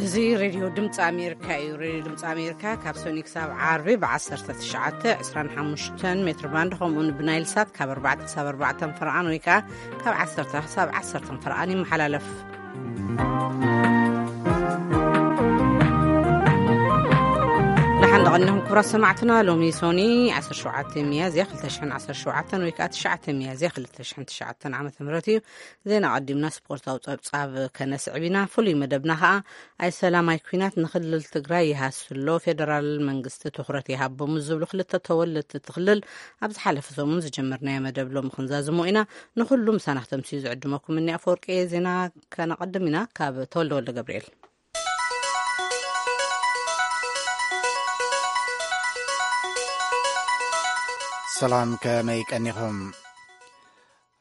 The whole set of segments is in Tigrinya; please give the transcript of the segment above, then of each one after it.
እዚ ሬድዮ ድምፂ ኣሜሪካ እዩ። ሬድዮ ድምፂ ኣሜሪካ ካብ ሰኒ ክሳብ ዓርቢ ብ19፣ 25 ሜትር ባንድ፣ ከምኡውን ብናይል ሳት ካብ ኣርባዕተ ክሳብ ኣርባዕተ ፈርቓን ወይ ከዓ ካብ ዓሰርተ ክሳብ ዓሰርተ ፈርቓን ይመሓላለፍ። ደሓን ደቐንኹም ክቡራት ሰማዕትና። ሎሚ ሶኒ 17 ሚያዝያ 2017 ወይ ከዓ 9 ሚያዝያ 2009 ዓመተ ምህረት እዩ። ዜና ቀዲምና ስፖርታዊ ጸብጻብ ከነስዕብ ኢና። ፍሉይ መደብና ኸኣ ኣይ ሰላም ኣይ ኲናት ንክልል ትግራይ ይሃስሎ፣ ፌደራል መንግስቲ ትኹረት ይሃቦ ምስ ዝብሉ ክልተ ተወለድቲ እቲ ክልል ኣብ ዝሓለፈ ሰሙን ዝጀመርናዮ መደብ ሎሚ ክንዛዝሞ ኢና። ንኹሉ ምሳና ክተምስዩ ዝዕድመኩም እኒ ኣፈወርቂ። ዜና ከነቐድም ኢና ካብ ተወልደ ወልደ ገብርኤል። ሰላም፣ ከመይ ቀኒኹም?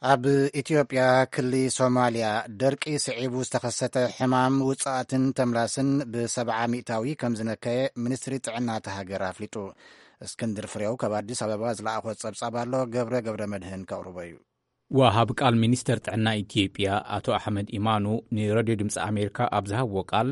ኣብ ኢትዮጵያ ክሊ ሶማልያ ደርቂ ስዒቡ ዝተኸሰተ ሕማም ውጽኣትን ተምላስን ብ70% ከም ዝነከየ ሚኒስትሪ ጥዕና እታ ሃገር ኣፍሊጡ። እስክንድር ፍሬው ካብ ኣዲስ ኣበባ ዝለኣኾ ጸብጻብ ኣሎ፣ ገብረ ገብረ መድህን ከቕርቦ እዩ። ወሃብ ቃል ሚኒስተር ጥዕና ኢትዮጵያ ኣቶ ኣሕመድ ኢማኑ ንሬድዮ ድምፂ ኣሜሪካ ኣብ ዝሃብዎ ቃል፣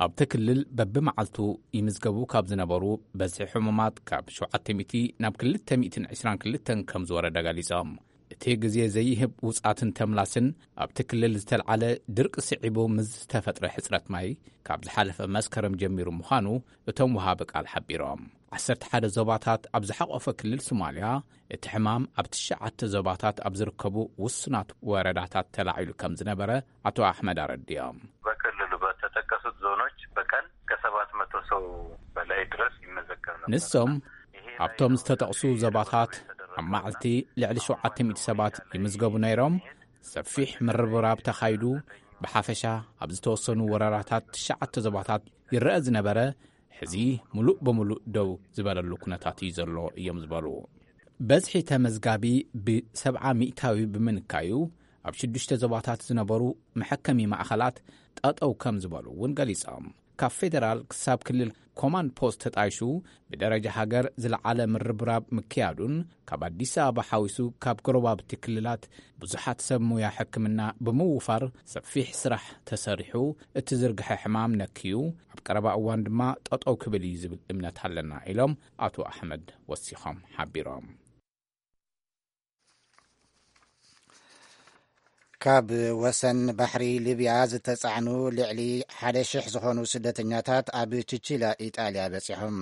ኣብቲ ክልል በብመዓልቱ ይምዝገቡ ካብ ዝነበሩ በዝሒ ሕሙማት ካብ ሸውዓተ ሚእቲ ናብ ክልተ ሚእትን ዕስራን ክልተን ከም ዝወረደ ገሊጾም። እቲ ግዜ ዘይህብ ውጽኣትን ተምላስን ኣብቲ ክልል ዝተልዓለ ድርቂ ስዒቡ ምስ ዝተፈጥረ ሕጽረት ማይ ካብ ዝሓለፈ መስከረም ጀሚሩ ምዃኑ እቶም ወሃቢ ቃል ሓቢሮም። ዓሰርተ ሓደ ዞባታት ኣብ ዝሓቖፈ ክልል ሶማልያ እቲ ሕማም ኣብ ትሽዓተ ዞባታት ኣብ ዝርከቡ ውሱናት ወረዳታት ተላዒሉ ከም ዝነበረ ኣቶ ኣሕመድ ኣረዲኦም። በክልሉ በተጠቀሱት ዞኖች በቀን ከሰባት መቶ ሰው በላይ ድረስ ይመዘገብ ነበር። ንሶም ይሄ ናይ ኣብቶም ዝተጠቕሱ ዞባታት ኣብ መዓልቲ ልዕሊ ሸውዓተ ሚእቲ ሰባት ይምዝገቡ ነይሮም። ሰፊሕ ምርብራብ ተኻይዱ። ብሓፈሻ ኣብ ዝተወሰኑ ወረዳታት ትሽዓተ ዞባታት ይረአ ዝነበረ ሕዚ ምሉእ ብምሉእ ደው ዝበለሉ ኩነታት እዩ ዘሎ እዮም ዝበሉ። በዝሒ ተመዝጋቢ ብ70% ብምንካዩ ኣብ ሽዱሽተ ዞባታት ዝነበሩ መሐከሚ ማእኸላት ጠጠው ከም ዝበሉ እውን ገሊጾም። ካብ ፌደራል ክሳብ ክልል ኮማንድ ፖስት ተጣይሹ ብደረጃ ሃገር ዝለዓለ ምርብራብ ምክያዱን ካብ ኣዲስ ኣበባ ሓዊሱ ካብ ጎረባብቲ ክልላት ብዙሓት ሰብ ሙያ ሕክምና ብምውፋር ሰፊሕ ስራሕ ተሰሪሑ እቲ ዝርግሐ ሕማም ነክዩ ኣብ ቀረባ እዋን ድማ ጠጠው ክብል እዩ ዝብል እምነት ኣለና ኢሎም ኣቶ ኣሕመድ ወሲኾም ሓቢሮም። ካብ ወሰን ባሕሪ ሊብያ ዝተጻዕኑ ልዕሊ ሓደ ሽሕ ዝኾኑ ስደተኛታት ኣብ ቺቺላ ኢጣልያ በጺሖም።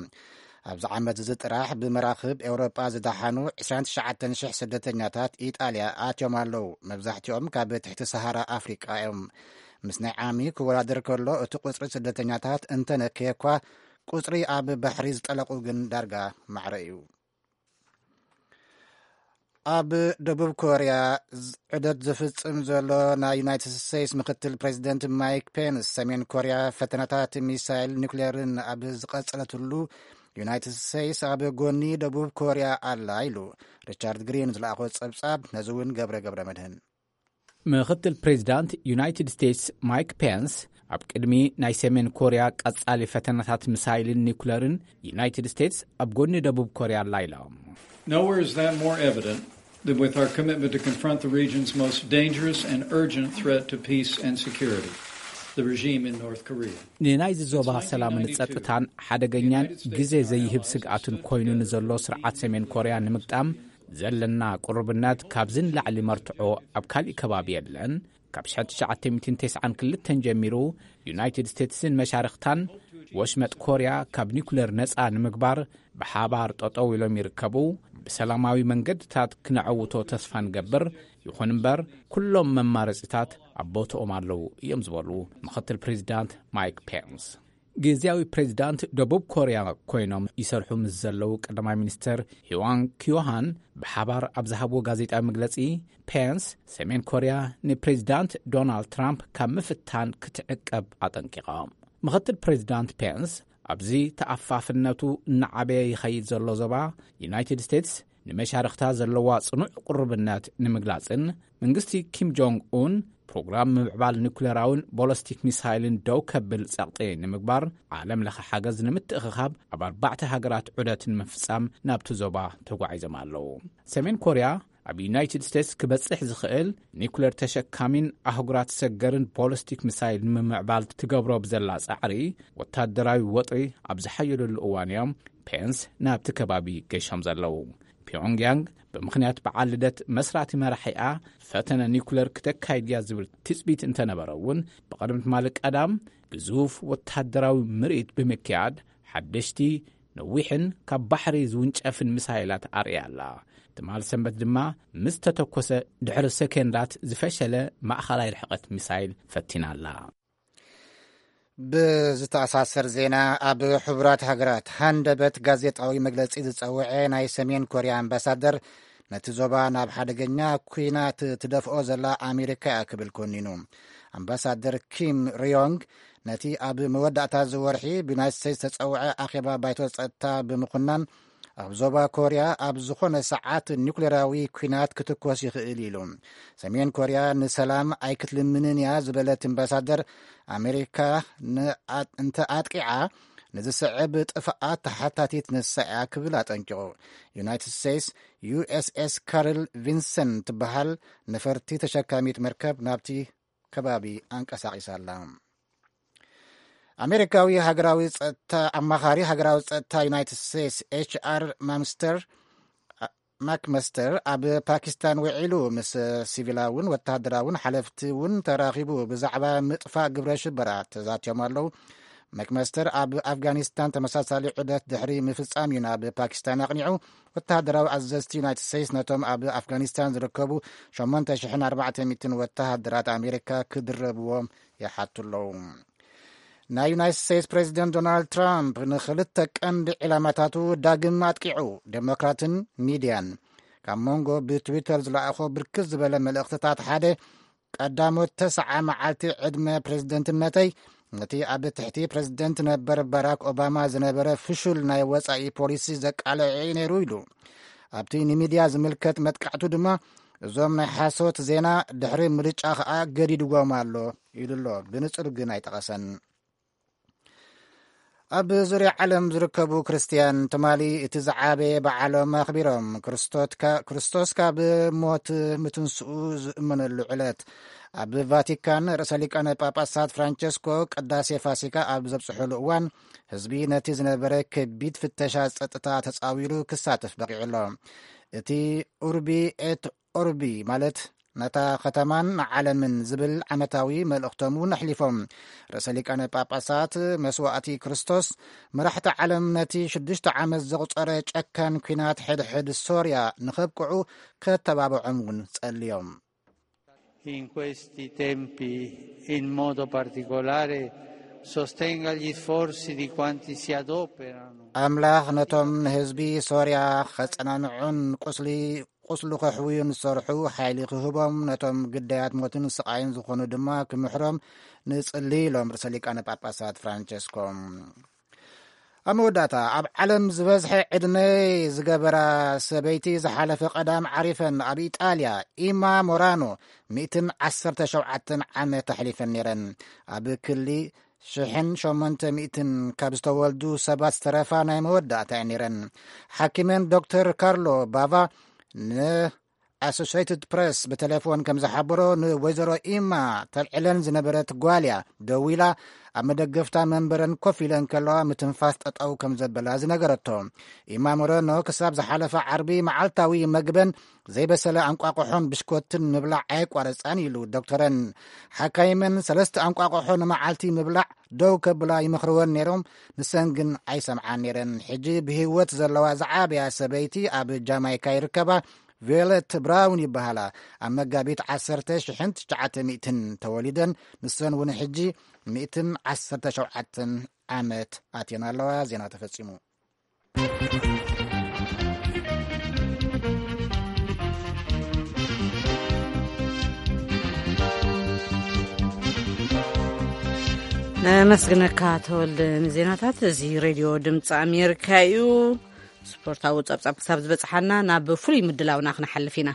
ኣብዚ ዓመት እዚ ጥራሕ ብመራኽብ ኤውሮጳ ዝደሓኑ ዕስራን ትሽዓተን ሽሕ ስደተኛታት ኢጣልያ ኣትዮም ኣለዉ። መብዛሕትኦም ካብ ትሕቲ ሰሃራ ኣፍሪቃ እዮም። ምስ ናይ ዓሚ ክወዳደር ከሎ እቲ ቁጽሪ ስደተኛታት እንተነከየ እኳ ቁጽሪ ኣብ ባሕሪ ዝጠለቑ ግን ዳርጋ ማዕረ እዩ። ኣብ ደቡብ ኮርያ ዝ-፣ ዑደት ዝፍጽም ዘሎ ናይ ዩናይትድ ስቴትስ ምክትል ፕሬዚደንት ማይክ ፔንስ፣ ሰሜን ኮርያ ፈተነታት ሚሳይል ኒውክሌርን ኣብ ዝቐጸለትሉ፣ ዩናይትድ ስቴትስ ኣብ ጎኒ ደቡብ ኮርያ ኣላ ኢሉ። ሪቻርድ ግሪን ዝለኣኾ ጸብጻብ፣ ነዚ እውን ገብረ ገብረ መድህን። ምክትል ፕሬዚዳንት ዩናይትድ ስቴትስ ማይክ ፔንስ ኣብ ቅድሚ ናይ ሰሜን ኮርያ ቀጻሊ ፈተነታት ሚሳይልን ኒውክለርን ዩናይትድ ስቴትስ ኣብ ጎኒ ደቡብ ኮርያ ኣላ ኢሎም። Nowhere is that more evident than with our commitment to confront the region's most dangerous and urgent threat to peace and security, the regime in North Korea. ንናይዚ ዞባ ሰላምን ጸጥታን ሓደገኛን ግዜ ዘይህብ ስግኣትን ኮይኑ ንዘሎ ስርዓት ሰሜን ኮርያ ንምግጣም ዘለና ቅሩብነት ካብዚ ንላዕሊ መርትዖ ኣብ ካሊእ ከባቢ የለን። ካብ ሽሕን ትሽዓተ ሚእትን ተስዓን ክልተን ጀሚሩ ዩናይትድ ስቴትስን መሻርኽታን ወሽመጥ ኮርያ ካብ ኒኩሌር ነጻ ንምግባር ብሓባር ጠጠው ኢሎም ይርከቡ። ብሰላማዊ መንገድታት ክነዐውቶ ተስፋ ንገብር። ይኹን እምበር ኩሎም መማረጺታት ኣብ ቦትኦም ኣለዉ እዮም ዝበሉ ምኽትል ፕሬዚዳንት ማይክ ፔንስ። ግዝያዊ ፕሬዚዳንት ደቡብ ኮርያ ኮይኖም ይሰርሑ ምስ ዘለዉ ቀዳማይ ሚኒስተር ሂዋን ኪዮሃን ብሓባር ኣብ ዝሃብዎ ጋዜጣዊ መግለጺ፣ ፔንስ ሰሜን ኮርያ ንፕሬዚዳንት ዶናልድ ትራምፕ ካብ ምፍታን ክትዕቀብ ኣጠንቂቖም። ምኽትል ፕሬዚዳንት ፔንስ ኣብዚ ተኣፋፍነቱ እናዓበየ ይኸይድ ዘሎ ዞባ ዩናይትድ ስቴትስ ንመሻርኽታ ዘለዋ ጽኑዕ ቅሩብነት ንምግላጽን መንግስቲ ኪም ጆንግ ኡን ፕሮግራም ምምዕባል ኒኩሌራውን ቦለስቲክ ሚሳይልን ደው ከብል ጸቕጢ ንምግባር ዓለም ለኸ ሓገዝ ንምትእኽኻብ ኣብ ኣርባዕተ ሃገራት ዑደት ንምፍጻም ናብቲ ዞባ ተጓዒዞም ኣለዉ። ሰሜን ኮርያ ኣብ ዩናይትድ ስቴትስ ክበጽሕ ዝኽእል ኒኩለር ተሸካሚን ኣህጉራት ሰገርን ቦሊስቲክ ሚሳይል ንምምዕባል ትገብሮ ብዘላ ጻዕሪ፣ ወታደራዊ ወጥሪ ኣብ ዝሓየለሉ እዋን እዮም ፔንስ ናብቲ ከባቢ ገሾም ዘለዉ። ፒዮንግያንግ ብምኽንያት በዓል ልደት መስራቲ መራሒኣ ፈተነ ኒኩለር ክተካይድ እያ ዝብል ትጽቢት እንተነበረ እውን፣ ብቐደም ትማሊ ቀዳም ግዙፍ ወታደራዊ ምርኢት ብምክያድ ሓደሽቲ ነዊሕን ካብ ባሕሪ ዝውንጨፍን ሚሳይላት ኣርእያ ኣላ። ትማል ሰንበት ድማ ምስ ተተኮሰ ድሕሪ ሰከንዳት ዝፈሸለ ማእኸላይ ርሕቐት ሚሳይል ፈቲና ኣላ። ብዝተኣሳሰር ዜና፣ ኣብ ሕቡራት ሃገራት ሃንደበት ጋዜጣዊ መግለጺ ዝጸውዐ ናይ ሰሜን ኮርያ ኣምባሳደር፣ ነቲ ዞባ ናብ ሓደገኛ ኲናት ትደፍኦ ዘላ ኣሜሪካ እያ ክብል ኮኒኑ። ኣምባሳደር ኪም ሪዮንግ ነቲ ኣብ መወዳእታ ዝወርሒ ብዩናይትድ ስቴትስ ዝተጸውዐ ኣኼባ ባይቶ ጸጥታ ብምኹናን፣ ኣብ ዞባ ኮርያ ኣብ ዝኾነ ሰዓት ኒኩሌራዊ ኲናት ክትኮስ ይኽእል ኢሉ። ሰሜን ኮርያ ንሰላም ኣይክትልምንን እያ ዝበለት ኣምባሳደር፣ ኣሜሪካ ንኣ-፣ እንተ ኣጥቂዓ ንዝስዕብ ጥፍኣት ተሓታቲት ንሳ እያ ክብል ኣጠንቂቑ። ዩናይትድ ስቴትስ ዩ ኤስ ኤስ ካርል ቪንሰን ትበሃል ነፈርቲ ተሸካሚት መርከብ ናብቲ ከባቢ ኣንቀሳቒሳ ኣላ። ኣሜሪካዊ ሃገራዊ ጸጥታ፣ ኣማኻሪ ሃገራዊ ጸጥታ ዩናይትድ ስቴትስ ኤች ኣር ማምስተር፣ ማክመስተር ኣብ ፓኪስታን ውዒሉ ምስ ሲቪላውን ወተሃደራውን ሓለፍቲ እውን ተራኺቡ ብዛዕባ ምጥፋእ ግብረ ሽበራ ተዛትዮም ኣለዉ። ማክመስተር ኣብ ኣፍጋኒስታን ተመሳሳሊ ዑደት ድሕሪ ምፍጻም እዩ ናብ ፓኪስታን ኣቕኒዑ። ወተሃደራዊ ኣዘዝቲ ዩናይትድ ስቴትስ ነቶም ኣብ ኣፍጋኒስታን ዝርከቡ ሸሞንተ ሽሕን ኣርባዕተ ሚእትን ወተሃደራት ኣሜሪካ ክድረብዎም ይሓቱ ኣለዉ። ናይ ዩናይትድ ስቴትስ ፕሬዚደንት ዶናልድ ትራምፕ ንኽልተ ቀንዲ ዒላማታቱ ዳግም ኣጥቂዑ፣ ዴሞክራትን ሚድያን። ካብ መንጎ ብትዊተር ዝለኣኾ ብርክት ዝበለ መልእኽትታት ሓደ፣ ቀዳሞት ተስዓ መዓልቲ ዕድመ ፕሬዝደንትነተይ፣ ነቲ ኣብ ትሕቲ ፕሬዝደንት ነበር ባራክ ኦባማ ዝነበረ ፍሹል ናይ ወጻኢ ፖሊሲ ዘቃልዐ እዩ ነይሩ ኢሉ። ኣብቲ ንሚድያ ዝምልከት መጥቃዕቱ ድማ፣ እዞም ናይ ሓሶት ዜና ድሕሪ ምርጫ ኸኣ ገዲድዎም ኣሎ ኢሉ ኣሎ። ብንጹር ግን ኣይጠቐሰን። ኣብ ዙርያ ዓለም ዝርከቡ ክርስትያን ትማሊ እቲ ዝዓበየ በዓሎም ኣኽቢሮም። ክርስቶትካ-፣ ክርስቶስ ካብ ሞት ምትንስኡ ዝእመነሉ ዕለት። ኣብ ቫቲካን ርእሰ ሊቃነ ጳጳሳት ፍራንቸስኮ ቅዳሴ ፋሲካ ኣብ ዘብጽሑሉ እዋን፣ ህዝቢ ነቲ ዝነበረ ከቢድ ፍተሻ ጸጥታ ተጻዊሩ ክሳተፍ በቒዑ ኣሎ። እቲ ኡርቢ ኤት ኦርቢ፣ ማለት ነታ ከተማን ንዓለምን ዝብል ዓመታዊ መልእኽቶም እውን ኣሕሊፎም። ርእሰ ሊቃነ ጳጳሳት መስዋእቲ ክርስቶስ፣ መራሕቲ ዓለም ነቲ ሽዱሽተ ዓመት ዘቑጸረ ጨካን ኲናት ሕድሕድ ሶርያ ንኸብቅዑ ከተባብዖም እውን ጸልዮም። In questi tempi, in modo particolare, sostenga gli sforzi di quanti si adoperano. ኣምላኽ ነቶም ንህዝቢ ሶርያ ኸጸናንዑን ቁስሊ ቁስሉ ከሕውዩን ዝሰርሑ ሓይሊ ክህቦም፣ ነቶም ግዳያት ሞትን ስቓይን ዝኾኑ ድማ ክምሕሮም ንጽሊ ኢሎም ርእሰ ሊቃነ ጳጳሳት ፍራንቸስኮ። ኣብ መወዳእታ፣ ኣብ ዓለም ዝበዝሐ ዕድመ ዝገበራ ሰበይቲ ዝሓለፈ ቀዳም ዓሪፈን። ኣብ ኢጣልያ ኢማ ሞራኖ ሚእትን ዓሰርተ ሸውዓተን ዓመት ኣሕሊፈን ነይረን። ኣብ ክሊ ሽሕን ሸሞንተ ሚእትን ካብ ዝተወልዱ ሰባት ዝተረፋ ናይ መወዳእታ እየን ነይረን። ሓኪመን ዶክተር ካርሎ ባቫ ንኣሶሽትድ ፕረስ ብቴሌፎን ከም ዝሓበሮ፣ ንወይዘሮ ኢማ ተልዕለን ዝነበረት ጓልያ ደዊላ፣ ኣብ መደገፍታ መንበረን ኮፍ ኢለን ከለዋ ምትንፋስ ጠጠው ከም ዘበላ ዝነገረቶ። ኢማ ሞረኖ ክሳብ ዝሓለፈ ዓርቢ መዓልታዊ መግበን ዘይበሰለ ኣንቋቑሖን ብሽኮትን ምብላዕ ኣየቋረጻን ኢሉ ዶክተረን። ሓካይመን ሰለስተ ኣንቋቑሖ ንመዓልቲ ምብላዕ ደው ከብላ ይመኽርወን ነይሮም፣ ንሰን ግን ኣይሰምዓን ነይረን። ሕጂ ብህይወት ዘለዋ ዝዓበያ ሰበይቲ ኣብ ጃማይካ ይርከባ። ቪዮለት ብራውን ይበሃላ። ኣብ መጋቢት ዓሰርተ ሽሕን ትሽዓተ ሚእትን ተወሊደን፣ ንሰን እውን ሕጂ ሚእትን ዓሰርተ ሸውዓተን ዓመት ኣትየን ኣለዋ። ዜና ተፈጺሙ። ነመስግነካ ተወልደ ንዜናታት። እዚ ሬድዮ ድምፂ ኣሜሪካ እዩ። ስፖርታዊ ጸብጻብ ክሳብ ዝበጽሓና ናብ ፍሉይ ምድላውና ክንሓልፍ ኢና።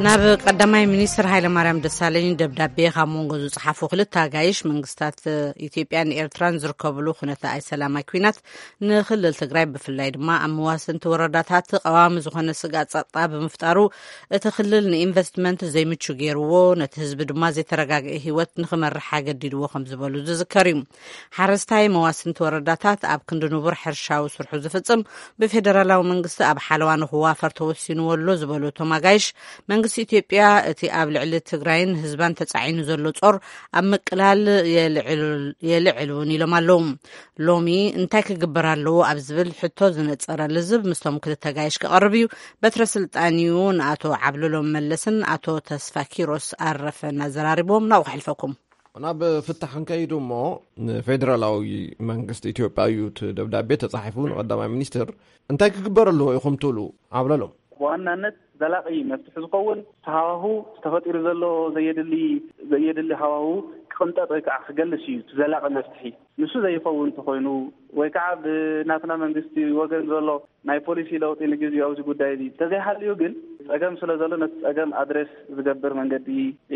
ናብ ቀዳማይ ሚኒስትር ሃይለማርያም ደሳለኝ ደብዳቤ ካብ መንጎ ዝጸሓፉ ክልተ ኣጋይሽ፣ መንግስታት ኢትዮጵያን ኤርትራን ዝርከብሉ ኩነተ ኣይ ሰላማይ ኲናት ንክልል ትግራይ፣ ብፍላይ ድማ ኣብ መዋስንቲ ወረዳታት ቀዋሚ ዝኾነ ስግኣት ጸጥታ ብምፍጣሩ፣ እቲ ክልል ንኢንቨስትመንት ዘይምቹ ገይርዎ፣ ነቲ ህዝቢ ድማ ዘይተረጋግአ ህይወት ንክመርሕ ኣገዲድዎ ከም ዝበሉ ዝዝከር እዩ። ሓረስታይ መዋስንቲ ወረዳታት ኣብ ክንዲ ንቡር ሕርሻዊ ስርሑ ዝፍጽም፣ ብፌደራላዊ መንግስቲ ኣብ ሓለዋ ንክዋፈር ተወሲንዎ ኣሎ ዝበሉ እቶም ኣጋይሽ፣ መንግስቲ ኢትዮጵያ እቲ ኣብ ልዕሊ ትግራይን ህዝባን ተጻዒኑ ዘሎ ጾር ኣብ ምቅላል የልዕል እውን ኢሎም ኣለዉ። ሎሚ እንታይ ክግበር ኣለዎ ኣብ ዝብል ሕቶ ዝነጸረ ልዝብ ምስቶም ክልተ ኣጋይሽ ክቐርብ እዩ። በትረ ስልጣን እዩ ንኣቶ ዓብለሎም መለስን ኣቶ ተስፋ ኪሮስ ኣረፈን ኣዘራሪቦም። ናብኡ ከሕልፈኩም። ናብ ፍታሕ ክንከይድ እሞ፣ ንፌደራላዊ መንግስቲ ኢትዮጵያ እዩ እቲ ደብዳቤ ተጻሒፉ ንቀዳማይ ሚኒስትር። እንታይ ክግበር ኣለዎ ኢኹም ትብሉ? ዓብለሎም። ብዋናነት ዘላቒ መፍትሒ ዝኸውን እቲ ሃዋሁ ተፈጢሩ ዘሎ ዘየድሊ ዘየድሊ ሃዋሁ ክቕንጠጥ ወይ ከዓ ክገልስ እዩ እቲ ዘላቒ መፍትሒ። ንሱ ዘይኸውን እንተኾይኑ ወይ ከዓ ብናትና መንግስቲ ወገን ዘሎ ናይ ፖሊሲ ለውጢ ንግዜኡ ኣብዚ ጉዳይ እዚ እንተዘይሃልዩ ግን፣ ጸገም ስለ ዘሎ ነቲ ጸገም ኣድሬስ ዝገብር መንገዲ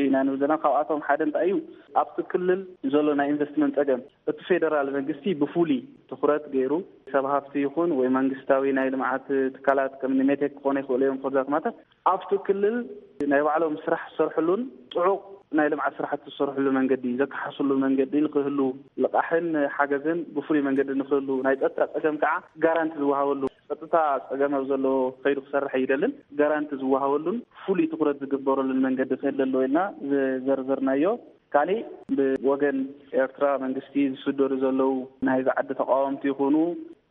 ኢና ንብል ዘለና። ካብኣቶም ሓደ እንታይ እዩ? ኣብቲ ክልል ዘሎ ናይ ኢንቨስትመንት ጸገም እቲ ፌደራል መንግስቲ ብፍሉይ ትኹረት ገይሩ፣ ሰብ ሃፍቲ ይኹን ወይ መንግስታዊ ናይ ልምዓት ትካላት ከም ሜቴክ ክኾኑ ይኽእሉ እዮም፣ ፎርዛት ማተር ኣብቲ ክልል ናይ ባዕሎም ስራሕ ዝሰርሕሉን ጥዑቕ ናይ ልምዓት ስራሕቲ ዝሰርሕሉ መንገዲ፣ ዘከሓስሉ መንገዲ ንክህሉ፣ ልቓሕን ሓገዝን ብፍሉይ መንገዲ ንክህሉ፣ ናይ ጸጥታ ጸገም ከዓ ጋራንቲ ዝወሃበሉ፣ ጸጥታ ጸገም ኣብ ዘለዎ ከይዱ ክሰርሕ ኣይደልን፣ ጋራንቲ ዝወሃበሉን ፍሉይ ትኹረት ዝግበረሉን መንገዲ ክህሉ ኣለዎ ኢልና ዝዘርዘርናዮ። ካሊእ ብወገን ኤርትራ መንግስቲ ዝስደዱ ዘለዉ ናይዚ ዓዲ ተቃወምቲ ይኹኑ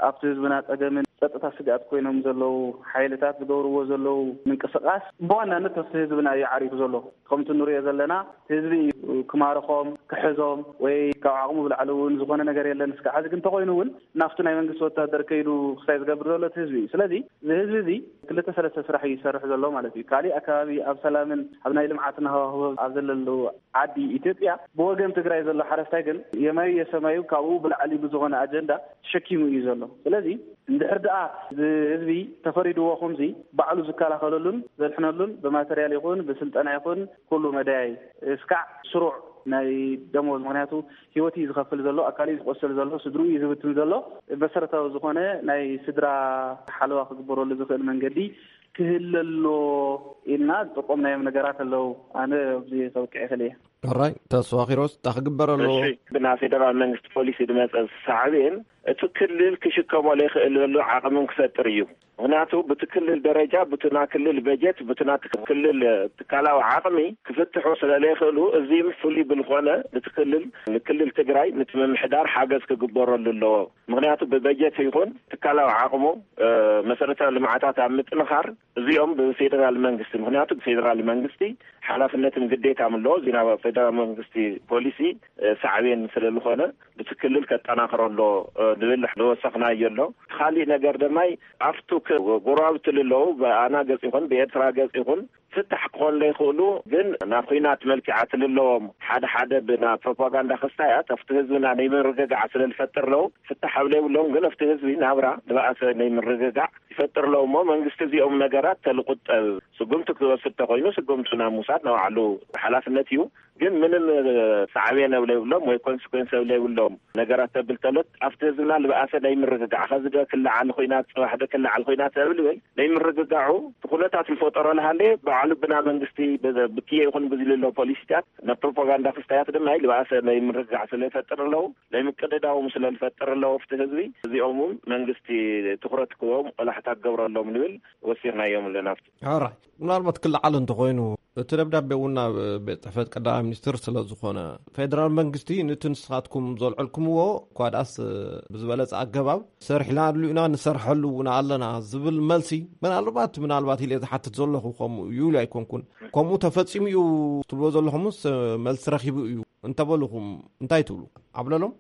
ኣብቲ ህዝብና ጸገምን ጸጥታ ስግኣት ኮይኖም ዘለዉ ሓይልታት ዝገብርዎ ዘለዉ ምንቅስቃስ ብዋናነት ኣብቲ ህዝብና እዩ ዓሪፉ ዘሎ። ከምቲ ንሪኦ ዘለና ህዝቢ እዩ ክማርኾም፣ ክሕዞም ወይ ካብ ዓቕሙ ብላዕሊ እውን ዝኾነ ነገር የለን። እስካዕ ሕዚ ግን እንተኾይኑ እውን ናብቲ ናይ መንግስቲ ወታደር ከይዱ ክሳይ ዝገብር ዘሎ እቲ ህዝቢ እዩ። ስለዚ እዚ ህዝቢ እዚ ክልተ ሰለስተ ስራሕ እዩ ዝሰርሕ ዘሎ ማለት እዩ። ካሊእ ኣከባቢ ኣብ ሰላምን ኣብ ናይ ልምዓትን ሃዋህው ኣብ ዘለሉ ዓዲ ኢትዮጵያ ብወገን ትግራይ ዘሎ ሓረስታይ ግን የማዩ የሰማዩ ካብኡ ብላዕሊ ብዝኾነ ኣጀንዳ ተሸኪሙ እዩ ዘሎ። ስለዚ እንድሕር ደኣ እዚ ህዝቢ ተፈሪድዎ ከምዚ ባዕሉ ዝከላኸለሉን ዘድሕነሉን ብማተርያል ይኹን ብስልጠና ይኹን ኩሉ መዳያይ እስካዕ ስሩዕ ናይ ደሞዝ፣ ምኽንያቱ ህይወት እዩ ዝኸፍል ዘሎ፣ ኣካል እዩ ዝቆስል ዘሎ፣ ስድርኡ እዩ ዝብትን ዘሎ። መሰረታዊ ዝኾነ ናይ ስድራ ሓለዋ ክግበረሉ ዝኽእል መንገዲ ክህለሎ ኢልና ዝጠቆምናዮም ነገራት ኣለዉ። ኣነ ኣብዚ ከብቅዕ ይኽእል እየ። ሕራይ ተስፋ ኪሮስ፣ እንታይ ክግበር ኣለዎ? እሺ፣ ብና ፌደራል መንግስቲ ፖሊሲ ዝመፀ ሳዕቤን እቲ ክልል ክሽከሞ ዘይክእለሉ ዓቕምን ክፈጥር እዩ። ምክንያቱ ብቲ ክልል ደረጃ ብቲ ና ክልል በጀት ብቲ ና ክልል ትካላዊ ዓቕሚ ክፍትሑ ስለ ዘይክእሉ፣ እዚ ፍሉይ ብልኾነ እቲ ክልል ንክልል ትግራይ ንቲ ምምሕዳር ሓገዝ ክግበረሉ ኣለዎ። ምክንያቱ ብበጀት ይኹን ትካላዊ ዓቕሙ መሰረታዊ ልምዓታት ኣብ ምጥንኻር እዚኦም ብፌደራል መንግስቲ፣ ምክንያቱ ፌደራል መንግስቲ ሓላፍነትን ግዴታን ኣለዎ። እዚ ናብ ፌደራል መንግስቲ ፖሊሲ ሳዕቤን ስለ ዝኾነ ብቲ ክልል ከጠናኽሮ ኣሎ ንብል ዝወሰኽናዮ ኣሎ። ካሊእ ነገር ደማይ ኣብቱ ጎረባብቲ ልለዉ ብኣና ገጽ ይኹን ብኤርትራ ገጽ ይኹን ፍታሕ ክኾኑ ዘይክእሉ ግን ናብ ኹናት መልክዓ ትልለዎም ሓደ ሓደ ብና ፕሮፓጋንዳ ክስታያት ኣብቲ ህዝብና ናይ ምርግጋዕ ስለ ዝፈጥር ኣለዉ ፍታሕ ኣብ ዘይብሎም ግን ኣብቲ ህዝቢ ናብራ ዝበኣሰ ናይ ምርግጋዕ ይፈጥር ኣለዉ እሞ መንግስቲ እዚኦም ነገራት ተልቁጠብ ስጉምቲ ክወስድ ተኮይኑ ስጉምቲ ናብ ምውሳድ ንባዕሉ ሓላፍነት እዩ። ግን ምንም ሳዕቤን ኣብ ዘይብሎም ወይ ኮንስኮንስ ኣብ ዘይብሎም ነገራት ተብል ተሎት ኣብቲ ህዝብና ዝበኣሰ ናይ ምርግጋዕ ከዚ ዶ ክለዓል ኮይናት ፅባሕ ዶ ክለዓል ኮይናት ተብል በል ናይ ምርግጋዑ ኩነታት ዝፈጠሮ ልሃለ ባዕሉ ብና መንግስቲ ብክየ ይኹን ብዝልሎ ፖሊሲታት ናብ ፕሮፓጋንዳ ክስታያት ድማ ዝበኣሰ ናይ ምርግጋዕ ስለ ይፈጥር ኣለዉ ናይ ምቅድዳዎም ስለ ዝፈጥር ኣለዉ ኣብቲ ህዝቢ እዚኦም እውን መንግስቲ ትኩረት ክዎም ቆላሕታ ክገብረሎም ንብል ወሲኽናዮም ኣለና። ሕራይ ምናልባት ክለዓል እንተኾይኑ እቲ ደብዳቤ እውን ናብ ቤት ጽሕፈት ቀዳማይ ሚኒስትር ስለ ዝኾነ ፌደራል መንግስቲ ነቲ ንስኻትኩም ዘልዐልኩምዎ እኳ ደኣስ ብዝበለጸ ኣገባብ ሰሪሕናሉ ኢና ንሰርሐሉ እውን ኣለና ዝብል መልሲ ምናልባት ምናልባት ኢለ ዝሓትት ዘለኹ ከምኡ ይብሉ ኣይኮንኩን። ከምኡ ተፈጺሙ እዩ ትብልዎ ዘለኹምስ መልሲ ረኺቡ እዩ እንተበልኹም እንታይ ትብሉ? ዓብለሎም።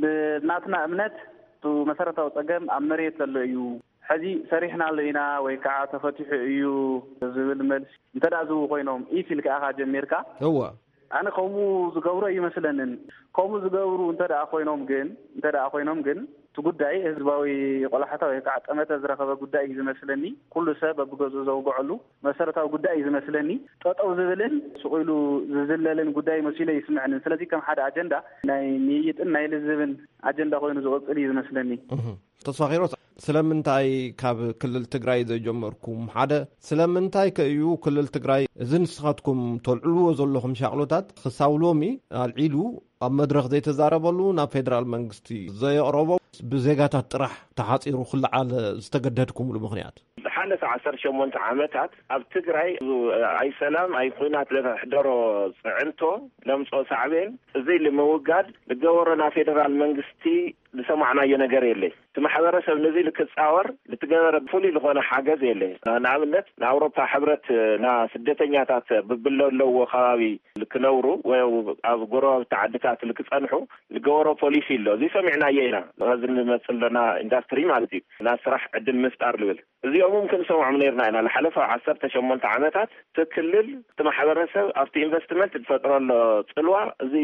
ብናትና እምነት እቲ መሰረታዊ ጸገም ኣብ መሬት ዘሎ እዩ። ሕዚ ሰሪሕናሉ ኢና ወይ ከዓ ተፈቲሑ እዩ ዝብል መልሲ እንተ ደኣ ዝህቡ ኮይኖም ኢፍ ኢልካ ኢኻ ጀሚርካ። እወ። ኣነ ከምኡ ዝገብሩ ኣይመስለንን። ከምኡ ዝገብሩ እንተ ደኣ ኮይኖም ግን እንተ ደኣ ኮይኖም ግን እቲ ጉዳይ ህዝባዊ ቆላሕታ ወይ ከዓ ጠመተ ዝረኸበ ጉዳይ እዩ ዝመስለኒ። ኩሉ ሰብ በብገዝኡ ዘውግዐሉ መሰረታዊ ጉዳይ እዩ ዝመስለኒ። ጠጠው ዝብልን ስቕ ኢሉ ዝዝለልን ጉዳይ መሲሉ ይስምዐንን። ስለዚ ከም ሓደ ኣጀንዳ ናይ ምይይጥን ናይ ልዝብን ኣጀንዳ ኮይኑ ዝቕፅል እዩ ዝመስለኒ። ተስፋ ኪሮስ፣ ስለምንታይ ካብ ክልል ትግራይ ዘይጀመርኩም? ሓደ፣ ስለምንታይ ከእዩ ክልል ትግራይ እዚ ንስኻትኩም ተልዕልዎ ዘለኹም ሻቕሎታት ክሳብ ሎሚ ኣልዒሉ ኣብ መድረኽ ዘይተዛረበሉ፣ ናብ ፌደራል መንግስቲ ዘየቕረቦ፣ ብዜጋታት ጥራሕ ተሓፂሩ ክለዓል ዝተገደድኩምሉ ምኽንያት? ዝሓለፈ ዓሰርተ ሸሞንተ ዓመታት ኣብ ትግራይ ኣይሰላም ኣይኩናት ለተሕደሮ ፅዕንቶ ለምፅኦ ሳዕቤን እዚ ንምውጋድ ዝገበሮ ናይ ፌደራል መንግስቲ ዝሰማዕናዮ ነገር የለ። እቲ ማሕበረሰብ ነዚ ልክፃወር ልትገበረ ፍሉይ ዝኾነ ሓገዝ የለ። ንኣብነት ንኣውሮፓ ሕብረት ና ስደተኛታት ብብለለዎ ከባቢ ልክነብሩ ወይ ኣብ ጎረባብቲ ዓድታት ልክፀንሑ ዝገበሮ ፖሊሲ ኣሎ። እዚ ሰሚዕናዮ ኢና። እዚ ንመፅእ ኣለና ኢንዳስትሪ ማለት እዩ፣ ናይ ስራሕ ዕድል ምፍጣር ልብል እዚኦም እውን ክንሰምዖም ነርና ኢና። ዝሓለፈ ዓሰርተ ሸሞንተ ዓመታት እቲ ክልል እቲ ማሕበረሰብ ኣብቲ ኢንቨስትመንት ዝፈጥሮ ኣሎ ፅልዋ እዚ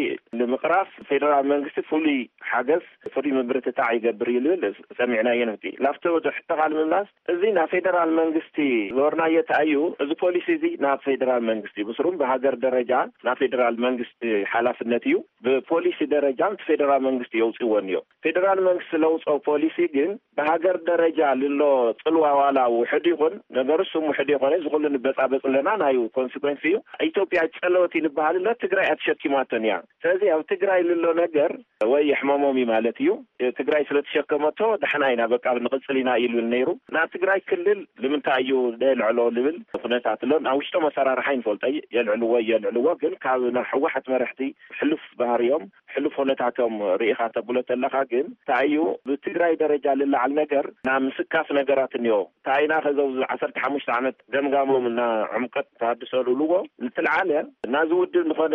ንምቕራፍ ፌደራል መንግስቲ ፍሉይ ሓገዝ ፍሉይ ምብርትታዕ ይገብር እዩ ዝብል ሰሚዕናዮ። ንቲ ላፍቶ ወደ ሕተቓል ምምላስ እዚ ናይ ፌደራል መንግስቲ ዝበርናዮ ተኣዩ። እዚ ፖሊሲ እዚ ናብ ፌደራል መንግስቲ ብስሩም ብሃገር ደረጃ ናይ ፌደራል መንግስቲ ሓላፍነት እዩ። ብፖሊሲ ደረጃ እቲ ፌደራል መንግስቲ የውፅዎ እኒዮ። ፌደራል መንግስቲ ለውፅኦ ፖሊሲ ግን ብሃገር ደረጃ ልሎ ፅልዋ ዋላ ውሕድ ይኹን ነገር እሱም ውሕድ ይኾነ ዝኩሉ ንበፃበፅ ኣለና ናዩ ኮንሲኮንስ እዩ። ኢትዮጵያ ጨለወት ይልበሃል ኣሎ ትግራይ ኣትሸኪማቶን እያ። ስለዚ ኣብ ትግራይ ልሎ ነገር ወይ የሕመሞም እዩ ማለት እዩ። ትግራይ ስለተሸከመቶ ዳሕና ኢና በቃ ንቕፅል ኢና ኢሉ ነይሩ። ናብ ትግራይ ክልል ንምንታይ እዩ ደልዕሎ ልብል ኩነታት ኣሎ። ናብ ውሽጦም ኣሰራርሓ ይንፈልጦ የልዕልዎ የልዕልዎ ግን ካብ ናይ ህወሓት መርሕቲ ሕሉፍ ባህርዮም ሕሉፍ ኩነታቶም ርኢኻ ተብሎ ተለኻ ግን እንታይ እዩ ብትግራይ ደረጃ ልለዓል ነገር ናብ ምስካፍ ነገራት እኒኦ። ታይና ከዘው ዓሰርተ ሓሙሽተ ዓመት ገምጋሞም እና ዕምቀት ተሃድሶ ልብልዎ ልትልዓለ ናዚ ውድብ ዝኾነ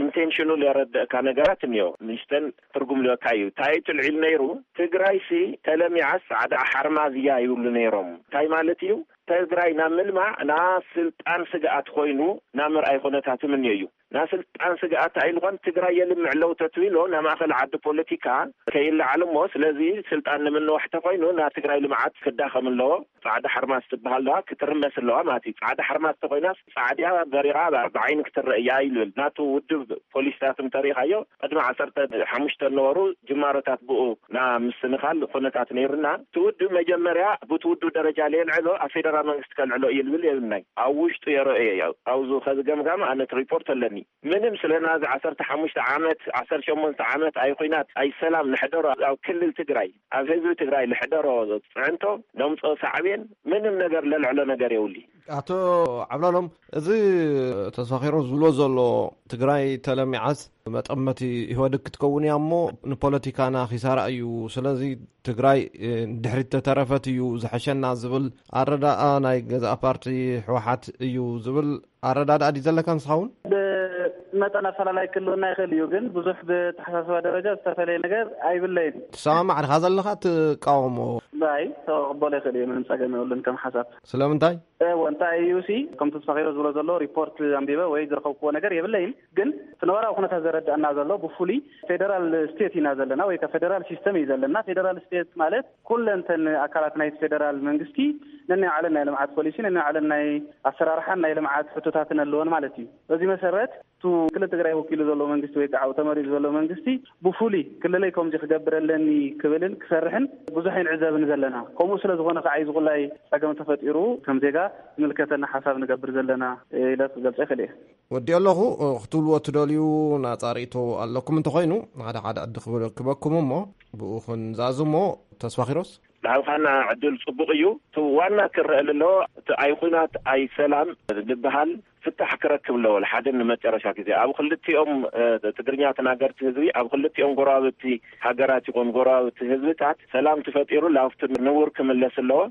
ኢንቴንሽኑ ለረድእካ ነገራት እኒኦ። ንሽተን ትርጉም ልበካ እዩ። እንታይ ትልዒል ነይሩ? ትግራይ ሲ ተለሚዓስ ፃዕዳ ሓርማዝ እያ ይብሉ ነይሮም። እንታይ ማለት እዩ? ትግራይ ናብ ምልማዕ ናብ ስልጣን ስግኣት ኮይኑ ናብ ምርኣይ ኩነታት ምንዮ እዩ። ናብ ስልጣን ስግኣት ኣይልኾን ትግራይ የልምዕ ለው ተትብሎ ናብ ማእኸል ዓዲ ፖለቲካ ከይለዓል እሞ ስለዚ ስልጣን ንምንዋሕ ተኮይኑ ናብ ትግራይ ልምዓት ክዳኸም ኣለዎ። ፃዕዳ ሓርማዝ ትበሃል ለዋ ክትርመስ ኣለዋ ማለት እዩ። ፃዕዳ ሓርማዝ ተኮይና ፃዕዲያ በሪራ ብዓይኒ ክትረእ እያ ይብል ናቱ ውድብ ፖሊሲታት እንተሪኢኻዮ ቅድሚ ዓሰርተ ሓሙሽተ ነበሩ ጅማሮታት ብኡ ና ምስንኻል ኩነታት ነይርና። እቲ ውድብ መጀመርያ ብቲ ውድብ ደረጃ ለየልዕሎ ኣብ ፌደራል መንግስቲ ከልዕሎ እዩ ልብል የብልናይ። ኣብ ውሽጡ የረኦ እየ ኣብዚ ከዚ ገምጋም ኣነት ሪፖርት ኣለኒ። ምንም ስለ ናዚ ዓሰርተ ሓሙሽተ ዓመት ዓሰርተ ሸሞንተ ዓመት ኣይኩናት ኣይሰላም ንሕደሮ ኣብ ክልል ትግራይ ኣብ ህዝቢ ትግራይ ልሕደሮ ፅዕንቶ ለምፅኦ ሳዕቤን ምንም ነገር ለልዕሎ ነገር የውሊ። ኣቶ ዓብላሎም፣ እዚ ተስፋ ኪሮስ ዝብሎ ዘሎ ትግራይ ተለሚዓስ መጠመቲ ኢህወደግ ክትከውን እያ እሞ ንፖለቲካና ኪሳራ እዩ። ስለዚ ትግራይ ድሕሪት ተተረፈት እዩ ዝሐሸና ዝብል ኣረዳኣ ናይ ገዛእ ፓርቲ ህወሓት እዩ ዝብል ኣረዳድኣ ድዩ ዘለካ ንስኻ እውን? ብመጠን ኣፈላላይ ክህልወና ይኽእል እዩ፣ ግን ብዙሕ ብተሓሳስባ ደረጃ ዝተፈለየ ነገር ኣይብለይን። ትሰማማዕ ድኻ ዘለኻ ትቃወሞ? ኣይ፣ ተቕበሎ ይኽእል እዩ፣ ምንም ጸገም የብሉን ከም ሓሳብ። ስለምንታይ? እወ፣ እንታይ እዩ ሲ፣ ከም ተስፋኺሮ ዝብሎ ዘሎ ሪፖርት ኣንቢበ ወይ ዝረኸብክዎ ነገር የብለይን፣ ግን እቲ ነባራዊ ኩነታት ዘረድኣና ዘሎ ብፍሉይ ፌደራል ስቴት ኢና ዘለና ወይ ከዓ ፌደራል ሲስተም እዩ ዘለና። ፌደራል ስቴት ማለት ኩለንተን ኣካላት ናይቲ ፌደራል መንግስቲ ነናይ ባዕለን ናይ ልምዓት ፖሊሲ፣ ነናይ ባዕለን ናይ ኣሰራርሓን ናይ ልምዓት ሕቶታትን ኣለወን ማለት እዩ። በዚ መሰረት እቲ ክልል ትግራይ ወኪሉ ዘሎ መንግስቲ ወይ ከዓ ተመሪፁ ዘሎ መንግስቲ ብፍሉይ ክልለይ ከምዚ ክገብር ኣለኒ ክብልን ክሰርሕን ብዙሕ ኣይንዕዘብን ዘለና። ከምኡ ስለ ዝኾነ ከዓ እዩ ዝቁላይ ፀገም ተፈጢሩ ከም ዜጋ ዝምልከተና ሓሳብ ንገብር ዘለና ኢለ ክገልፀ ይኽእል እየ። ወዲኦ ኣለኹ። ክትብልዎ ትደልዩ ናፃ ርእቶ ኣለኩም እንተኾይኑ ሓደ ሓደ ዕዲ ክበኩም እሞ ብኡ ክንዛዝ እሞ። ተስፋ ኪሮስ። ዳብኻና ዕድል ጽቡቕ እዩ። እቲ ዋና ክረአ ኣለዎ እቲ ኣይ ኩናት ኣይ ሰላም ዝበሃል ፍታሕ ክረክብ ኣለዎ። ሓደ ንመጨረሻ ግዜ ኣብ ክልቲኦም ትግርኛ ተናገርቲ ህዝቢ ኣብ ክልቲኦም ጎረባብቲ ሃገራት ይኹን ጎረባብቲ ህዝብታት ሰላም ተፈጢሩ ላብቲ ንቡር ክምለስ ኣለዎ።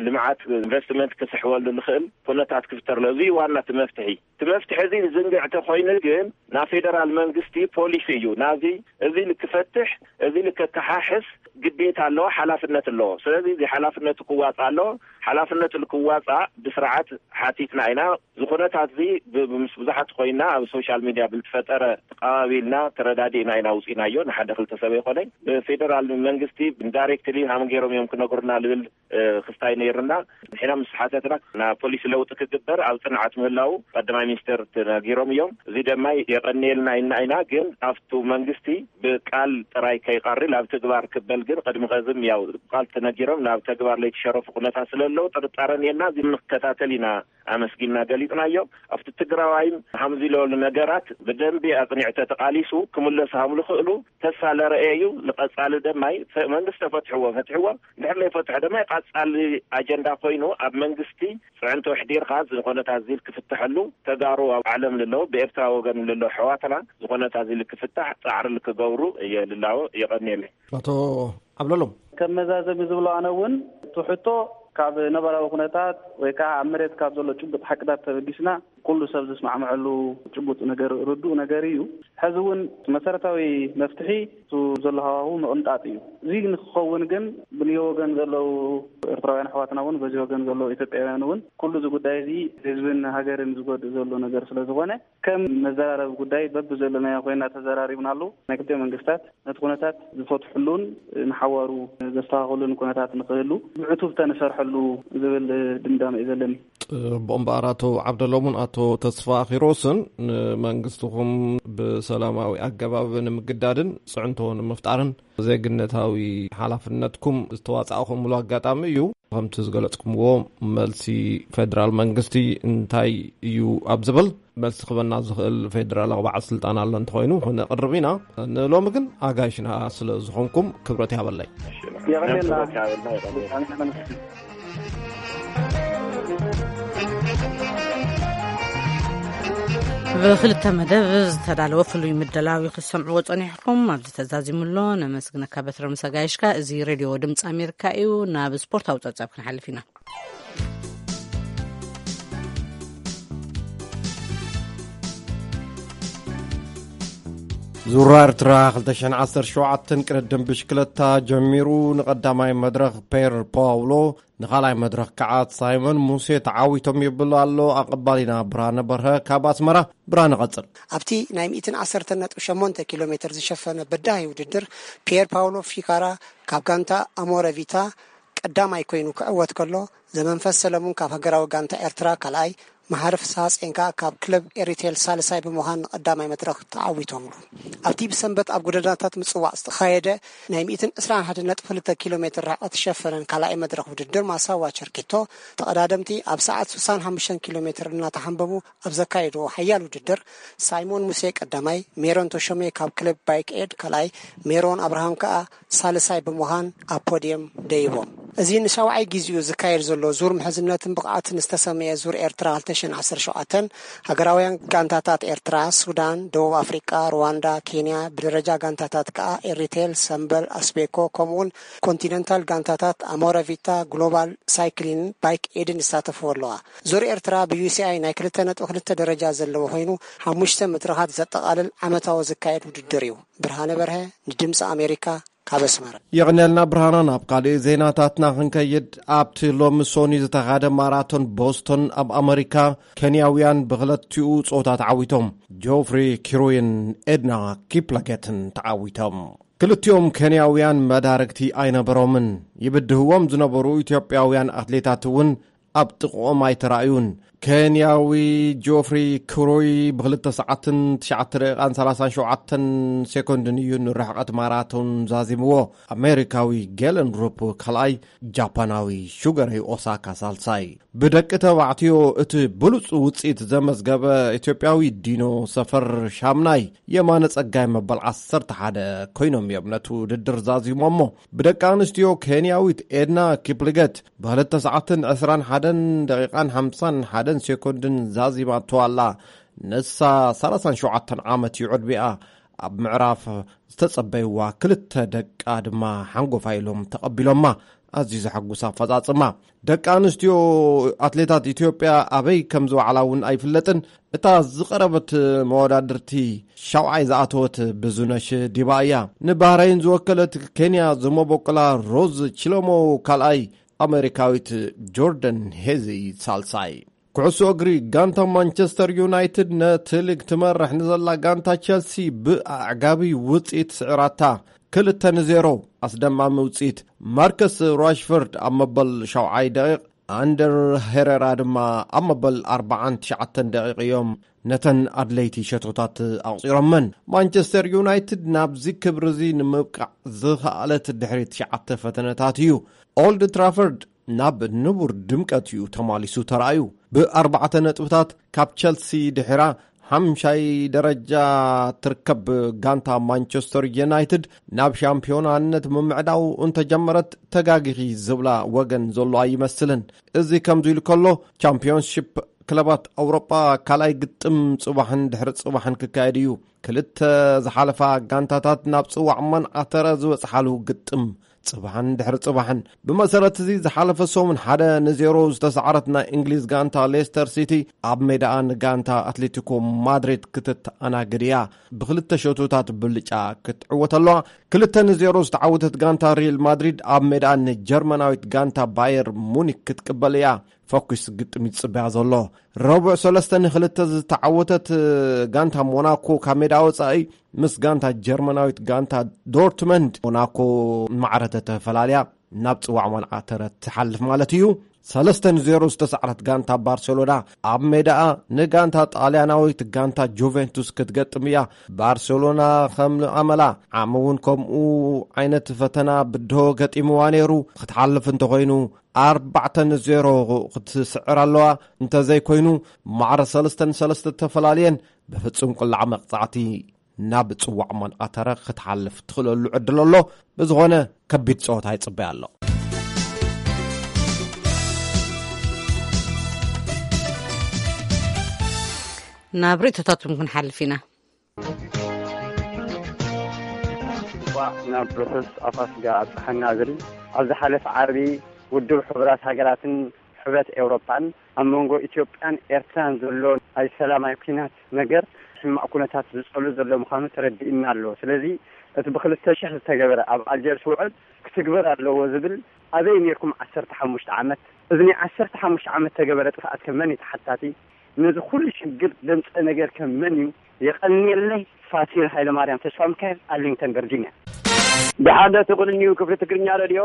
ልምዓት ኢንቨስትመንት ክስሕበሉ ዝኽእል ኩነታት ክፍጠር ኣለዎ። እዚ ዋና እቲ መፍትሒ። እቲ መፍትሒ እዚ ዝንግዕ ተኾይኑ ግን ናይ ፌደራል መንግስቲ ፖሊሲ እዩ ናዚ እዚ ልክፈትሕ እዚ ልከከሓሕስ ግዴታ ኣለዎ፣ ሓላፍነት ኣለዎ። ስለዚ እዚ ሓላፍነቱ ክዋፃእ ኣለዎ። ሓላፍነቱ ንክዋፃእ ብስርዓት ሓቲትና ኢና። ዝኹነታት እዚ ብ-፣ ምስ ብዙሓት ኮይና ኣብ ሶሻል ሚድያ ብዝተፈጠረ ተቐባቢልና ተረዳዲእና ኢና ውፂናዮ። ንሓደ ክልተ ሰብ ኣይኮነን። ብፌደራል መንግስቲ ዳይሬክትሊ ሃም ገይሮም እዮም ክነግሩና ልብል ክስታይ ነይርና። ንሕና ምስ ሓተትና ናብ ፖሊሲ ለውጢ ክግበር ኣብ ፅንዓት ምህላው ቀዳማይ ሚኒስትር ተነጊሮም እዮም። እዚ ድማ የቐንየልና ኢልና ኢና። ግን ኣብቱ መንግስቲ ብቃል ጥራይ ከይቐሪ ናብ ትግባር ክበል ግን ቅድሚ ኸዝም ያው ብቃል ተነጊሮም ናብ ተግባር ለይተሸረፉ ኩነታት ስለለዉ ጥርጣረ ነና። እዚ ንከታተል ኢና ኣመስጊንና ገሊጽናዮ። ኣብቲ ትግራዋይን ሃምዚ ለሉ ነገራት ብደንቢ ኣጽኒዕተ ተቃሊሱ ክምለሱ ሃምሉ ክእሉ ተስፋ ለረኤ እዩ። ንቐጻሊ ደማይ ፈ-፣ መንግስቲ ተፈትሕዎ፣ ፈትሕዎ። እንድሕር ለይፈትሖ ድማ ቀጻሊ ኣጀንዳ ኮይኑ ኣብ መንግስቲ ጽዕንቶ ኣሕዲርካ ዝኾነታት ዚል ክፍትሐሉ ተጋሩ ኣብ ዓለም ልለዉ ብኤርትራ ወገን ልለዉ ኣሕዋትና ዝኾነታት ዚል ክፍታሕ ጻዕሪ ልክገብሩ እየ ልላዎ። የቐንየለይ። ኣቶ ዓብለሎም። ከም መዛዘሚ ዝብሎ ኣነ እውን እቲ ሕቶ ካብ ነባራዊ ኩነታት ወይ ከዓ ኣብ መሬት ካብ ዘሎ ጭቡጥ ሓቅታት ተበጊስና ኩሉ ሰብ ዝስማዕምዐሉ ጭቡጥ ነገር፣ ርዱእ ነገር እዩ። ሕዚ እውን መሰረታዊ መፍትሒ እቱ ዘሎ ሃዋሁ ምቕንጣጥ እዩ። እዚ ንክኸውን ግን ብንዮ ወገን ዘለዉ ኤርትራውያን ኣሕዋትና እውን በዚ ወገን ዘለዉ ኢትዮጵያውያን እውን ኩሉ እዚ ጉዳይ እዚ ህዝብን ሃገርን ዝጎድእ ዘሎ ነገር ስለ ዝኾነ ከም መዘራረቢ ጉዳይ በብዘለናዮ ኮይና ተዘራሪብናሉ። ናይ ክልቲኦ መንግስታት ነቲ ኩነታት ዝፈትሕሉን ንሓዋሩ ዘስተኻኽሉን ኩነታት ንክህሉ ብዕቱብ ተንሰርሐሉ ዝብል ድምዳመ እዩ ዘለኒ። ጽቡቕ እምበኣር፣ ኣቶ ዓብደሎምን ኣቶ ተስፋ ኪሮስን ንመንግስትኹም ብሰላማዊ ኣገባብ ንምግዳድን ጽዕንቶ ንምፍጣርን ዜግነታዊ ሓላፍነትኩም ዝተዋጻእኹምሉ ኣጋጣሚ እዩ። ከምቲ ዝገለጽኩምዎ፣ መልሲ ፌደራል መንግስቲ እንታይ እዩ ኣብ ዝብል መልሲ ክበና ዝኽእል ፌደራላዊ በዓል ስልጣን ኣሎ እንተኾይኑ ክነቕርብ ኢና። ንሎሚ ግን ኣጋይሽና ስለ ዝኾንኩም ክብረት ያበለይ። የቐንየልና። ብክልተ መደብ ዝተዳለወ ፍሉይ ምደላዊ ክትሰምዕዎ ጸኒሕኩም። ኣብዚ ተዛዚሙ ኣሎ። ነመስግነካ በትረ ምስ ኣጋይሽካ። እዚ ሬድዮ ድምፂ ኣሜሪካ እዩ። ናብ ስፖርታዊ ጸብጻብ ክንሓልፍ ኢና። ዙራ ኤርትራ ክልተ ሽሕን ዓሰርተ ሸውዓተን ቅድድም ብሽክለታ ጀሚሩ። ንቐዳማይ መድረኽ ፔር ፓውሎ፣ ንኻልኣይ መድረኽ ከዓ ሳይሞን ሙሴ ተዓዊቶም ይብል ኣሎ ኣቐባሊና ብርሃነ በርሀ ካብ ኣስመራ። ብርሃነ፣ ቀጽል። ኣብቲ ናይ ሚእትን ዓሰርተን ነጥቢ ሸሞንተ ኪሎ ሜትር ዝሸፈነ በዳሂ ውድድር ፒየር ፓውሎ ፊካራ ካብ ጋንታ ኣሞረ ቪታ ቀዳማይ ኮይኑ ክዕወት ከሎ፣ ዘመንፈስ ሰለሙን ካብ ሃገራዊ ጋንታ ኤርትራ ካልኣይ፣ መሃሪ ፍስሃ ጼንካ ካብ ክለብ ኤሪቴል ሳልሳይ ብምዃን ንቐዳማይ መድረኽ ተዓዊቶምሉ። ኣብቲ ብሰንበት ኣብ ጎደናታት ምጽዋዕ ዝተኻየደ ናይ ሚእትን ዕስራን ሓደን ነጥቢ ክልተ ኪሎ ሜትር ርሕቀት ዝሸፈነን ካልኣይ መድረኽ ውድድር ማሳዋ ቸርኬቶ፣ ተቐዳደምቲ ኣብ ሰዓት ስሳን ሓሙሽተን ኪሎ ሜትር እናተሓንበቡ ኣብ ዘካየድዎ ሓያል ውድድር፣ ሳይሞን ሙሴ ቀዳማይ፣ ሜሮን ተሾሜ ካብ ክለብ ባይክ ኤድ ካልኣይ፣ ሜሮን ኣብርሃም ከኣ ሳልሳይ ብምዃን ኣብ ፖድየም ደይቦም። እዚ ንሻውዓይ ግዜኡ ዝካየድ ዘሎ ዙር ምሕዝነትን ብቕዓትን ዝተሰመየ ዙር ኤርትራ ክልተ ሽሕን ዓሰርተ ሸውዓተን፣ ሃገራውያን ጋንታታት ኤርትራ፣ ሱዳን፣ ደቡብ ኣፍሪቃ፣ ሩዋንዳ፣ ኬንያ፣ ብደረጃ ጋንታታት ከኣ ኤሪቴል፣ ሰምበል፣ ኣስቤኮ፣ ከምኡውን ኮንቲነንታል ጋንታታት ኣሞረቪታ፣ ግሎባል ሳይክሊን ባይክ ኤድን ይሳተፍዎ ኣለዋ። ዙር ኤርትራ ብዩሲኣይ ናይ ክልተ ነጥቢ ክልተ ደረጃ ዘለዎ ኮይኑ፣ ሓሙሽተ መድረኻት ዘጠቓልል ዓመታዊ ዝካየድ ውድድር እዩ። ብርሃነ በርሀ፣ ንድምፂ ኣሜሪካ፣ ካብ ኣስመራ። የቕንየልና ብርሃና። ናብ ካልእ ዜናታትና ክንከይድ፣ ኣብቲ ሎሚ ሶኒ ዝተኻደ ማራቶን ቦስቶን ኣብ ኣመሪካ፣ ኬንያውያን ብክለቲኡ ጾታ ተዓዊቶም። ጆፍሪ ኪሩይን ኤድና ኪፕላጌትን ተዓዊቶም። ክልቲኦም ኬንያውያን መዳርግቲ ኣይነበሮምን። ይብድህዎም ዝነበሩ ኢትዮጵያውያን ኣትሌታት እውን ኣብ ጥቕኦም ኣይተራእዩን። ኬንያዊ ጆፍሪ ክሩይ ብክልተ ሰዓትን ትሽዓተ ደቂቓን ሰላሳን ሸውዓተን ሴኮንድን እዩ ንርሕቐት ማራቶን ዛዚምዎ። ኣሜሪካዊ ጌለን ሩፕ ካልኣይ፣ ጃፓናዊ ሹገረይ ኦሳካ ሳልሳይ። ብደቂ ተባዕትዮ እቲ ብሉጽ ውጽኢት ዘመዝገበ ኢትዮጵያዊ ዲኖ ሰፈር ሻምናይ፣ የማነ ጸጋይ መበል ዓሰርተ ሓደ ኮይኖም እዮም ነቲ ውድድር ዛዚሞሞ። ብደቂ ኣንስትዮ ኬንያዊት ኤድና ኪፕሊገት ብክልተ ሰዓትን ዕስራን ሓደን ደቂቓን ሓምሳን ሓደን ሴኮንድን ዛዚማቶ ኣላ። ንሳ ሰላሳን ሸውዓተን ዓመት እዩ ዕድሚኣ። ኣብ ምዕራፍ ዝተጸበይዋ ክልተ ደቃ ድማ ሓንጎፋይ ኢሎም ተቐቢሎማ። ኣዝዩ ዘሐጉስ ኣፈጻጽማ። ደቂ ኣንስትዮ ኣትሌታት ኢትዮጵያ ኣበይ ከም ዝወዓላ እውን ኣይፍለጥን። እታ ዝቐረበት መወዳድርቲ ሻውዓይ ዝኣተወት ብዙነሽ ዲባ እያ። ንባህረይን ዝወከለት ኬንያ ዝመበቆላ ሮዝ ቺሎሞ ካልኣይ፣ ኣሜሪካዊት ጆርደን ሄዚ ሳልሳይ። ኩዕሶ እግሪ፣ ጋንታ ማንቸስተር ዩናይትድ ነቲ ሊግ ትመርሕ ንዘላ ጋንታ ቸልሲ ብኣዕጋቢ ውጽኢት ስዒራታ። ክልተ ንዜሮ። ኣስደማሚ ውጽኢት። ማርከስ ራሽፎርድ ኣብ መበል ሻውዓይ ደቂቕ፣ ኣንደር ሄሬራ ድማ ኣብ መበል ኣርባዓን ትሽዓተን ደቂቕ እዮም ነተን ኣድለይቲ ሸቶታት ኣቑጺሮመን። ማንቸስተር ዩናይትድ ናብዚ ክብሪ እዚ ንምብቃዕ ዝኸኣለት ድሕሪ ትሽዓተ ፈተነታት እዩ። ኦልድ ትራፈርድ ናብ ንቡር ድምቀት እዩ ተማሊሱ ተራእዩ። ብኣርባዕተ ነጥብታት ካብ ቸልሲ ድሒራ ሓምሻይ ደረጃ ትርከብ ጋንታ ማንቸስተር ዩናይትድ ናብ ሻምፒዮናነት ምምዕዳው እንተጀመረት ተጋጊኺ ዝብላ ወገን ዘሎ ኣይመስልን። እዚ ከምዚ ኢሉ ከሎ፣ ቻምፒዮንሺፕ ክለባት ኣውሮጳ ካልኣይ ግጥም ጽባሕን ድሕሪ ጽባሕን ክካየድ እዩ። ክልተ ዝሓለፋ ጋንታታት ናብ ጽዋዕ መንዓተረ ዝበጽሓሉ ግጥም ጽባሕን ድሕሪ ጽባሕን። ብመሰረት እዚ፣ ዝሓለፈ ሰሙን ሓደ ንዜሮ ዝተሰዓረት ናይ እንግሊዝ ጋንታ ሌስተር ሲቲ ኣብ ሜዳኣ ንጋንታ ኣትሌቲኮ ማድሪድ ክትተኣናግድ እያ። ብክልተ ሸቶታት ብልጫ ክትዕወት ኣለዋ። ክልተ ንዜሮ ዝተዓወተት ጋንታ ሪል ማድሪድ ኣብ ሜዳኣ ንጀርመናዊት ጋንታ ባየር ሙኒክ ክትቅበል እያ። ፈኲስ ግጥም ይጽበያ ዘሎ። ረቡዕ ሰለስተ ንክልተ ዝተዓወተት ጋንታ ሞናኮ ካብ ሜዳ ወጻኢ ምስ ጋንታ ጀርመናዊት ጋንታ ዶርትመንድ ሞናኮ ማዕረ ተተፈላልያ ናብ ጽዋዕ መንዓተረ ትሓልፍ ማለት እዩ። ሰለስተ ንዜሮ ዝተሳዕረት ጋንታ ባርሴሎና ኣብ ሜዳኣ ንጋንታ ጣልያናዊት ጋንታ ጁቬንቱስ ክትገጥም እያ። ባርሴሎና ከም ኣመላ ዓሚ እውን ከምኡ ዓይነት ፈተና ብድሆ ገጢምዋ ነይሩ። ክትሓልፍ እንተኾይኑ ኣርባዕተ ንዜሮ ክትስዕር ኣለዋ። እንተዘይኮይኑ ማዕረ ሰለስተ ንሰለስተ ተፈላልየን ብፍጹም ቁላዕ መቕጻዕቲ ናብ ጽዋዕ መንኣተረ ክትሓልፍ ትኽእለሉ ዕድል ኣሎ። ብዝኾነ ከቢድ ጸወታ ይጽበያ ኣሎ። ናብ ርእይቶታትኩም ክንሓልፍ ኢና። እንኳዕ ናብ ብሩክስ ኣፋስጋ ኣብጽሓና ዝብል ኣብ ዝሓለፈ ዓርቢ ውድብ ሕቡራት ሃገራትን ሕብረት ኤውሮጳን ኣብ መንጎ ኢትዮጵያን ኤርትራን ዘሎ ናይ ሰላማዊ ኲናት ነገር ሕማቕ ኩነታት ዝጸሉ ዘሎ ምዃኑ ተረዲእና ኣሎ። ስለዚ እቲ ብክልተ ሽሕ ዝተገበረ ኣብ ኣልጀርስ ውዕል ክትግበር ኣለዎ ዝብል ኣበይ ነርኩም ዓሰርተ ሓሙሽተ ዓመት? እዚ ናይ ዓሰርተ ሓሙሽተ ዓመት ተገበረ ጥፍኣት ከ መን እዩ ተሓታቲ? ነዚ ኩሉ ሽግር ዘምጸ ነገር ከ መን እዩ? የቐንየለይ። ፋሲል ሃይለማርያም ተስፋ ሚካኤል፣ ኣርሊንግተን ቨርጂኒያ። ደሓን ዶ ትቕንዩ ክፍሊ ትግርኛ ሬድዮ?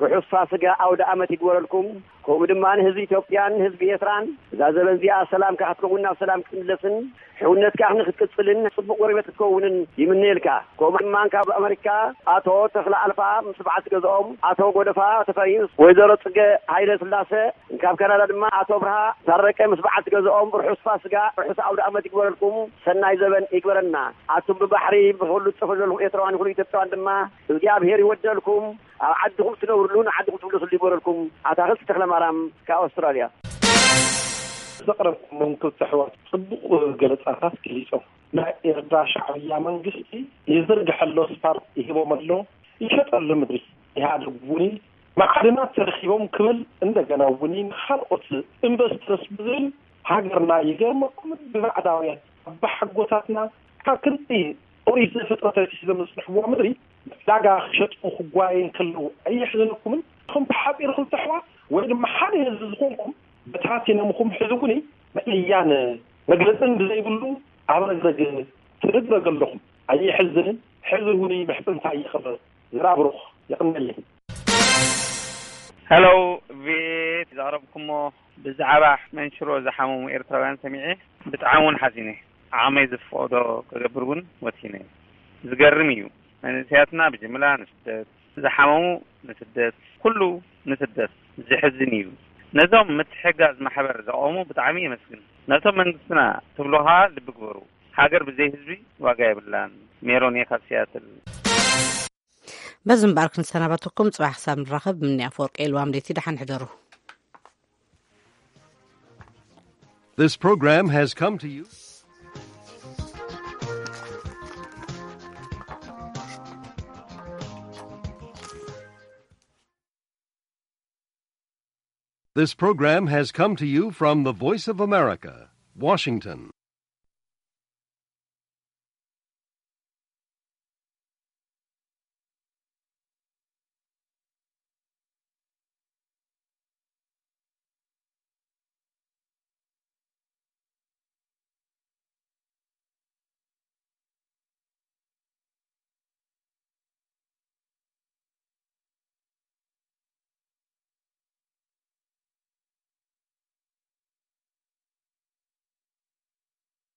ርሑስ ፋስጋ ኣውደ ኣመት ይግበረልኩም። ከምኡ ድማ ንህዝቢ ኢትዮጵያን ህዝቢ ኤርትራን እዛ ዘበን እዚኣ ሰላምካ ክትከውን ናብ ሰላም ክትምለስን ሕውነትካ ንክትቅጽልን ጽቡቕ ጎረቤት ክትከውንን ይምነየልካ። ከምኡ ድማ ካብ ኣመሪካ ኣቶ ተኽለ ኣልፋ ምስ በዓልቲ ገዝኦም፣ ኣቶ ጎደፋ ተፈሪስ፣ ወይዘሮ ጽገ ሃይለ ስላሰ፣ ካብ ካናዳ ድማ ኣቶ ብርሃ ታረቀ ምስ በዓልቲ ገዝኦም ርሑስ ፋስጋ፣ ርሑስ ኣውደ ኣመት ይግበረልኩም፣ ሰናይ ዘበን ይግበረና። ኣቱም ብባሕሪ ብክሉ ትጽፉ ዘለኹም ኤርትራውያን ይኹኑ ኢትዮጵያውያን ድማ እግዚኣብሔር ይወደልኩም። ኣብ ዓድኹም ትነብርሉ ንዓድኹም ትምለስሉ ይግበረልኩም። ኣታኽልቲ ተኽለ ማርያም ካብ ኣውስትራልያ። ዘቕረብኩሞም ክልተ ኣሕዋት ጽቡቕ ገለጻታት ገሊጾም። ናይ ኤርትራ ሻዕብያ መንግስቲ ይዝርግሐሎ ስፓርት ይህቦም ኣሎ፣ ይሸጠሉ ምድሪ። ኢህኣደግ እውን ማዕድናት ተረኺቦም ክብል እንደገና እውን ንኻልኦት ኢንቨስተርስ ብዝብል ሃገርና ይገርመኩምን ብባዕዳውያን ኣባሓጎታትና ካብ ክንዲ ኦሪት ዘፍጥረት ኣትሒዞም ዝጽንሕዋ ምድሪ ዕዳጋ ክሸጡ ክጓየዩ እንከለዉ ኣየሕዝነኩምን? እቶም ብሓጺር ክልተ ኣሕዋት ወይ ድማ ሓደ ህዝቢ ዝኾንኩም በታቲኖምኹም ሕዚ እውን መእያን መግለጽን ብዘይብሉ ኣብ ረግረግ ትርግረግ ኣለኹም። ኣየሕዝንን? ሕዚ እውን ምሕጽንታ ይኽበር። ዝራብሩኽ የቕንየለይ። ሄሎ፣ ቤት ዘቕረብኩሞ ብዛዕባ መንሽሮ ዝሓመሙ ኤርትራውያን ሰሚዐ ብጣዕሚ እውን ሓዚነ። ዓቕመይ ዝፈቕዶ ክገብር እውን ወሲነ። ዝገርም እዩ። መንእሰያትና ብጅምላ ንስደት፣ ዝሓመሙ ንስደት፣ ኩሉ ንስደት። ዝሕዝን እዩ። ነዞም ምትሕጋዝ ማሕበር ዘቆሙ ብጣዕሚ የመስግን። ነቶም መንግስትና ትብሉ ኸኣ ልቢ ግበሩ። ሃገር ብዘይ ህዝቢ ዋጋ የብላን። ሜሮን እየ ካብ ሲያትል። በዚ እምበኣር ክንሰናበተኩም፣ ጽባሕ ክሳብ ንራኸብ፣ ምኒ ኣፈወርቂ የልዋም ለይቲ፣ ደሓን ሕደሩ። This program has come to you. This program has come to you from the Voice of America, Washington.